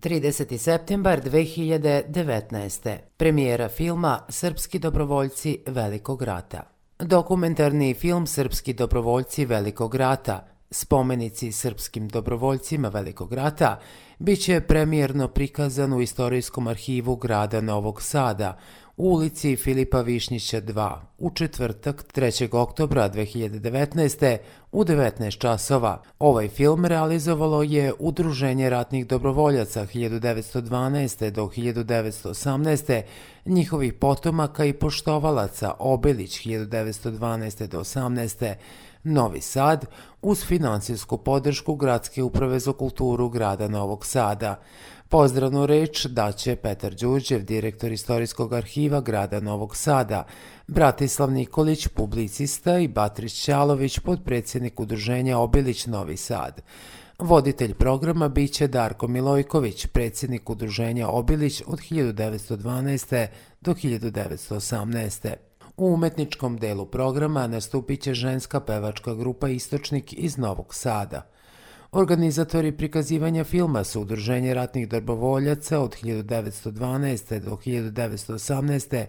30. septembar 2019. Premijera filma Srpski dobrovoljci Velikog rata. Dokumentarni film Srpski dobrovoljci Velikog rata, spomenici srpskim dobrovoljcima Velikog rata, bit će premijerno prikazan u Istorijskom arhivu grada Novog Sada, u ulici Filipa Višnjića 2, u četvrtak 3. oktobra 2019. u 19 časova. Ovaj film realizovalo je Udruženje ratnih dobrovoljaca 1912. do 1918. njihovih potomaka i poštovalaca Obilić 1912. do 18. Novi Sad, uz financijsku podršku Gradske uprave za kulturu grada Novog Sada. Pozdravnu reč daće Petar Đurđev, direktor Istorijskog arhiva grada Novog Sada, Bratislav Nikolić, publicista, i Batrić Ćalović, potpredsjednik Udruženja Obilić Novi Sad. Voditelj programa biće Darko Milojković, predsjednik Udruženja Obilić od 1912. do 1918. U umetničkom delu programa nastupit će ženska pevačka grupa Istočnik iz Novog Sada. Organizatori prikazivanja filma su Udruženje ratnih dobrovoljaca od 1912. do 1918.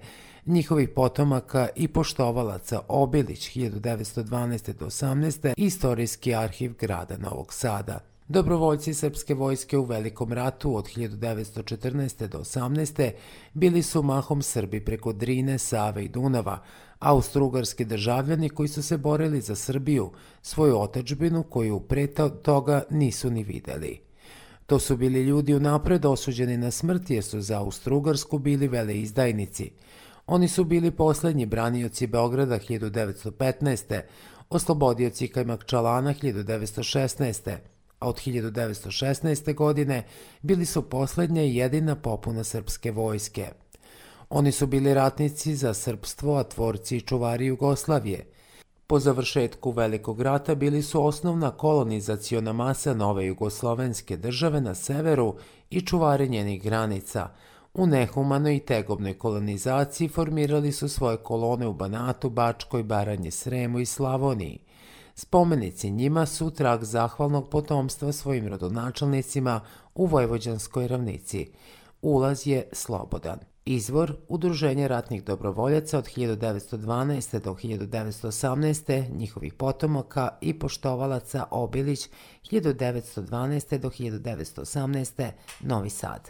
njihovih potomaka i poštovalaca Obilić 1912. do 18. i Istorijski arhiv grada Novog Sada. Dobrovoljci Srpske vojske u Velikom ratu od 1914. do 18. bili su mahom Srbi preko Drine, Save i Dunava, austrougarski državljani koji su se borili za Srbiju, svoju otadžbinu koju pre toga nisu ni videli. To su bili ljudi unapred osuđeni na smrt jer su za Austrougarsku bili veleizdajnici. Oni su bili poslednji branioci Beograda 1915. oslobodioci Kajmakčalana 1916. a od 1916. godine bili su poslednja i jedina popuna srpske vojske. Oni su bili ratnici za srpstvo, a tvorci i čuvari Jugoslavije. Po završetku Velikog rata bili su osnovna kolonizaciona masa nove jugoslovenske države na severu i čuvari njenih granica. U nehumanoj i tegobnoj kolonizaciji formirali su svoje kolone u Banatu, Bačkoj, Baranji, Sremu i Slavoniji. Spomenici njima su trag zahvalnog potomstva svojim rodonačelnicima u Vojvođanskoj ravnici. Ulaz je slobodan. Izvor Udruženje ratnih dobrovoljaca od 1912. do 1918. njihovih potomaka i poštovalaca Obilić 1912. do 1918. Novi Sad.